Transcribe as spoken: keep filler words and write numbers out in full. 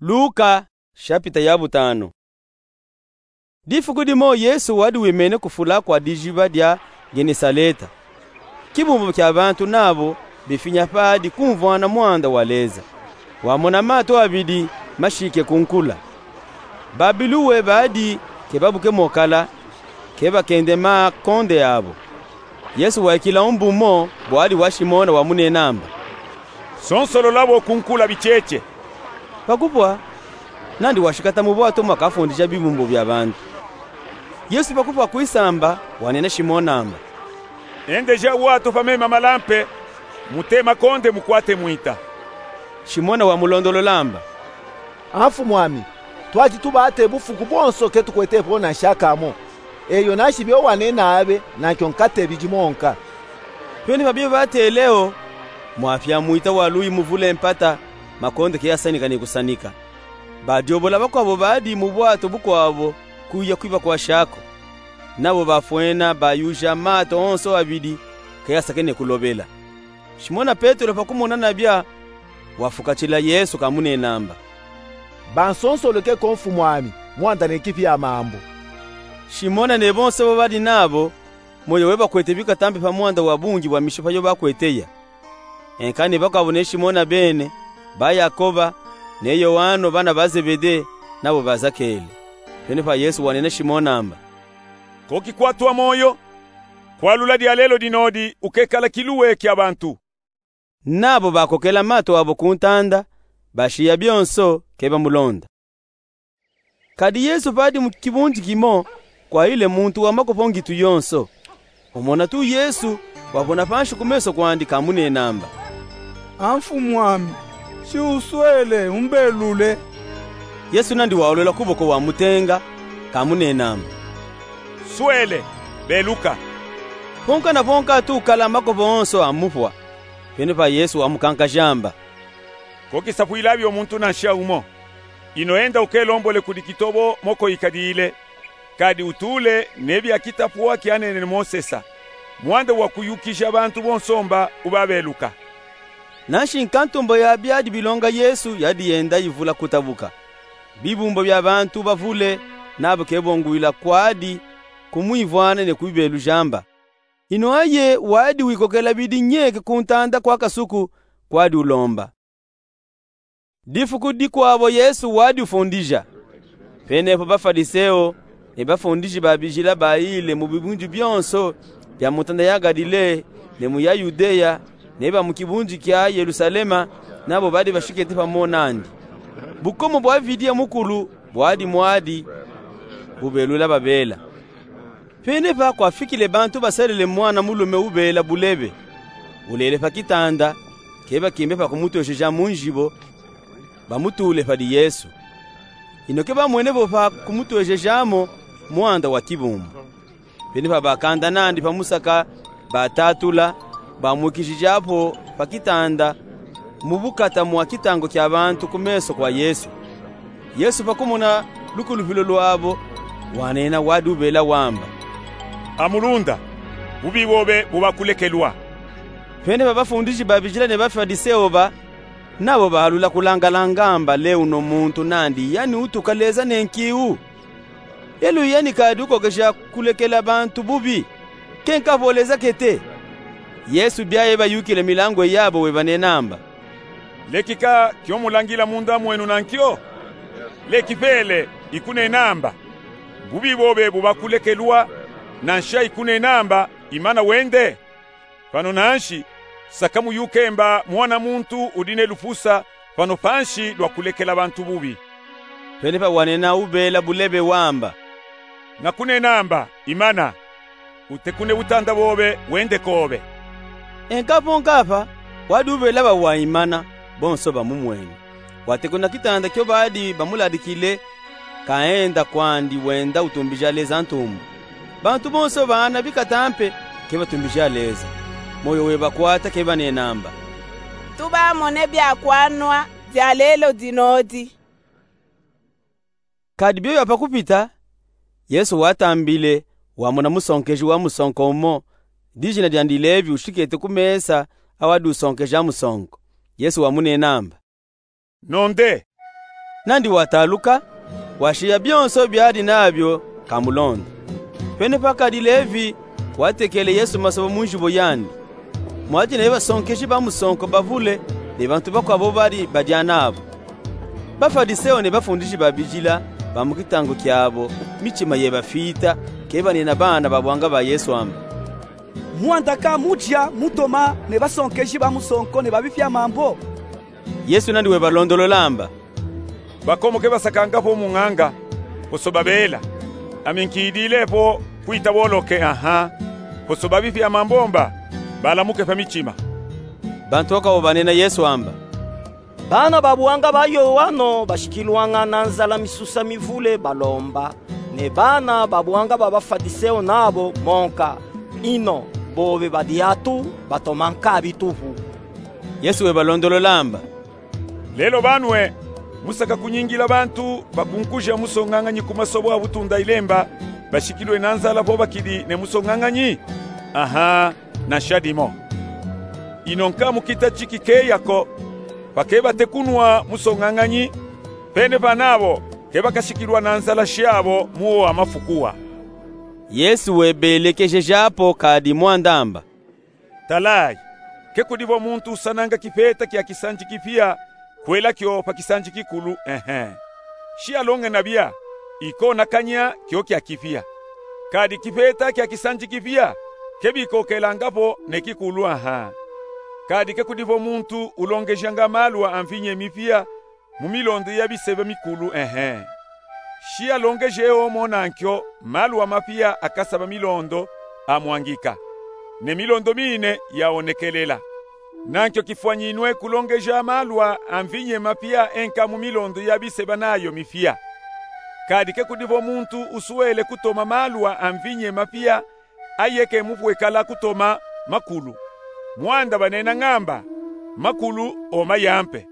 Luka, shapita ya butanu. Difuku dimo Yesu wadi wimene ku fula kwa dijiba dia Genesaleta. Kibumbu kia bantu nabo bifinya padi kumvwana mwanda wa Leza. Wamona mato abidi mashike kunkula. Babiluwe badi ke babuke mo kala, ke bakende makonde abo. Yesu waikila mbu mo, bwadi wa Shimona wamunenamba: Sonsolola bo kunkula bitiete. Pakupwa, nandi washikata mu bwato mwakafundija bibumbu bia bantu. Yesu pakupwa kwisamba, wanena Shimon'amba: Endeja bwato pa mema malampe, mutema konde mukwate mwita. Shimona wamulondolol'amba: A Mfumwami, twadi tubate bufuku bonso ke tukwete po nansha kamo. Eyo nanshi bio wanena abe, nankyo nkate bidi monka. Pene pa bio batele'o, mwapya mwita wa luyi muvule mpata, makonde ke yasanika ni kusanika. Badiobola bakwabo badi mu bwato bukwabo kuya kwiba kwa shako. Nabo bafwena bayuja mato onso abidi ke yasakene kulobela. Shimona Petelo pakumona nabya, wafukatila Yesu kamunenamba: Bansonsoloke ko Mfumwami, mwanda ne kipya mambu. Shimona ne bonso bo badi nabo, moyo webakwete bikata mpe pa mwanda wa bungi bwa mishipa yo bakweteya. Enkani bakwabo ne Shimona bene, ba Yakoba, ne Yoano bana ba Zebede, nabo bazakele. Pene pa Yesu wanena Shimon'amba: Ko kikwatwa moyo, kwalula dyalelo dinodi ukekala kiluwe kya bantu. Nabo bakokela mato abo kuntanda, bashiya byonso ke bamulonda. Kadi Yesu padi mu kibunji kimo, kwayile muntu wa makopo ngitu yonso. Umona tu Yesu, wabona panshi ku meso kwandi kamunenamba: A Mfumwami, shi uswele umbelule? Yesu nandi waolola kuboko wamutenga, kamunenamba: Swele, beluka. Ponka na ponka tu kala makopo onso amupwa. Pene pa Yesu wamukankajamba: Ko kisapwila byo muntu nansha umo. Ino enda ukelombole kudi kitobo moko ikadile, kadi utule ne bya kitapwa kyanene Mosesa, mwanda wa kuyukija bantu bonso mba ubabeluka. Nanshi nkantumbo ya byadi bilonga Yesu yadi yenda yivula kutabuka. Bibumbu bya bantu bavule, nabo ke bongwila kwadi kumwivwana ne kubibeluja mba. Ino aye wadi wikokela bidi nyeke kuntanda kwa kasuku, kwadi ulomba. Difuku dikwabo Yesu wadi ufundija. Penepo Bafaliseo ne bafundiji ba bijila bayile mu bibunji byonso bya mu ntanda ya Galile, ne mu ya Yudeya, ne ba mu kibunji kya Yelusalema, nabo badi bashikete pamo nandi. Bukomo bwa Vidiya Mukulu bwadi mwadi bubelula babela. Penepa kwafikile bantu basalele mwana mulume ubela bulebe, ulele pa kitanda, ke bakimbe pa kumutwejeja mu njibo, bamutule padi Yesu. Ino ke bamwene vo pa kumutwejejamo mwanda wa kibumbu. Penepa bakanda nandi pa musaka, batatula, bamwikijija po pa kitanda, mu bukata mwa kitango kya bantu ku meso kwa Yesu. Yesu pakumona lukulupilo lwabo, wanena wadi ubela wamba: Amulunda, bubi bobe bubakulekelwa. Penepa bafundiji ba bijila ne Bafaliseo ba, nabo balula kulangalanga mba le uno muntu nandi yani utuka Leza ne nkiu. Elu yani kadi ukokeja kulekela bantu bubi, ke nkapo Leza kete? Yesu byaye bayukile milangu yabo webanenamba: Lekika kyo mulangila munda mwenu nankyo? Leki pele, ikunenamba, bubi bobe bubakulekelwa, nansha ikunenamba, imana wende. Pano nanshi, saka muyuke mba mwana muntu udi ne lupusa pano panshi lwa kulekela bantu bubi. Penepa wanena ubela bulebe wamba: Nakunenamba, imana, utekune butanda bobe wende kobe. Enkapo nkapa, wadi ubela ba wa imana, bonso bamumwene. Watekuna kitanda kyo badi bamuladikile, kaenda kwandi wenda utumbija Leza ntumbu. Bantu bonso baana bikata mpe ke batumbija Leza. Moyo webakwata ke banenamba: Tubamone byakwanwa byalelo dinodi. Kadi byoyo pakupita, Yesu watambile, wamona musonkeji wa musonko umo, dijina dyandi Levi, ushikete ku mesa awadi usonkeja musonko. Yesu wamunenamba: Nonde. Nandi wataluka, washiya byonso byadi nabyo, kamulonda. Pene pakadi Levi watekele Yesu masoba mu nzibo yandi, mwadi ne basonkeji ba musonko bavule ne bantu bakwawu bobadi badya nabo. Bafadiseo ne bafundishi ba bijila ba mu kitangu kyabo, mitima yebafita, kebanina bana ba bwanga ba Yesu amba: Mwandaka mudya mutoma ne basonkeji ba musonko ne ba bifya mambo? Yesu nandi webalondolola amba: Bakomoke basakanga po mu nganga, poso babela. Ami nkidile po kwita boloke, aha, poso ba bifya mambo mba balamuke pa mitima. Bantu bakwawu banena Yesu amba: Bana ba bwanga ba Yoano bashikilwanga na nzala misusa mivule balomba, ne bana ba bwanga ba Bafadiseo nabo monka. Ino bobe badi atu batoma nkabi tupu. Yesu webalondolola amba: Lelo banwe, musaka kunyingila bantu bakunkuja musonganganyi ku masobo a butunda ilemba, bashikilwe na nzala po bakidi ne musonganganyi? Aha, na nshadimo. Ino nkamukita tiki keya ko, pa kebate kunwa musonganganyi, pene pa nabo kebakashikilwa na nzala shabo mu wo wa mafukuwa. Yesu webelekejeja po kadi mwanda amba: Talayi, ke kudivo muntu usananga kipeta kya kisanji kipiya kwela kyo pa kisanji kikulu, ehe. Shiyalonge nabya, ikonakanya kyo kya kipiya. Kadi kipeta kya kisanji kipiya kebikokelanga po ne kikulu, aha. Kadi ke kudivo muntu ulongejanga maluwa a mvinye mipiya mu milondo ya biseba mikulu, ehe. Shiyalongeje omo nankyo maluwa mapiya akasaba milondo amwangika, ne milondo mine yawonekelela. Nankyo kifwanyinwe kulongeja maluwa a mvinye mapiya enka mu milondo ya biseba nayo mipiya. Kadi ke kudivo muntu usuwele kutoma maluwa a mvinye mapiya ayeke mupwekala kutoma makulu. Mwanda banena ngamba: Makulu oma yampe.